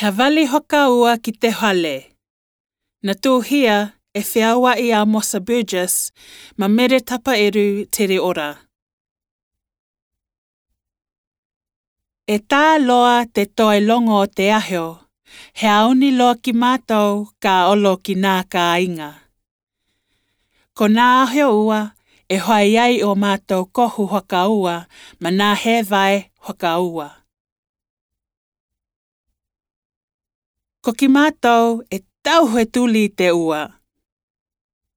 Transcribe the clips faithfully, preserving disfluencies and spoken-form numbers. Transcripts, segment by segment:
Havali hokua ki te hale. Natūhia e Feauaʻi Amosa Burgess ma Mere Tapaeru Tereora. E tā loa te toe logo o te aho, he auni loa ki mātou ka olo ki nā kāiga. Ko nā aho ua, e hoai ai o mātou kohu hokua, ma nā hēvae hokua. Ko ki mātou e tauhu e tuli i te ua.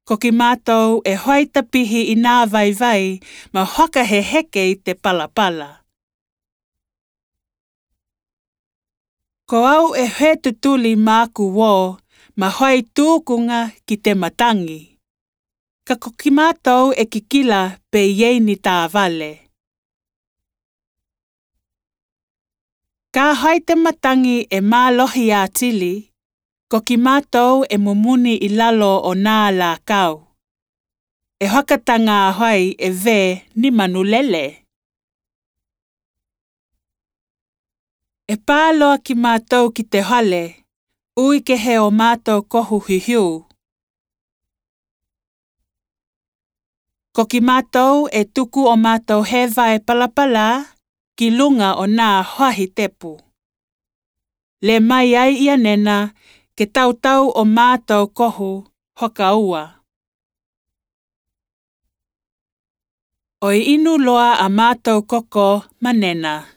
Ko ki mātou e hoai tapihi i nā vaivai, ma fakaheheke i te palapala. Ko au e hoetu tuli māku uō, ma hoai tūkuga ki te matagi. Ka ko ki mātou e kikila pe ʻi ai ni tāvale. Ka hoai te matagi e mālohi atili, ko ki mātou e mumuni i lalo o nā lākau. E fakataga hoai e vē ni manu lele. E pā loa ki mātou ki te hale, ui kehe o mātou kohu hihiu. Ko ki mātou e tuku o mātou hēvae palapala ki luga o nā hoahi tepu. Lē mai ai ia nena ke tautau o mātou kohu hokua. ʻOi inu loa a mātou koko ma nena.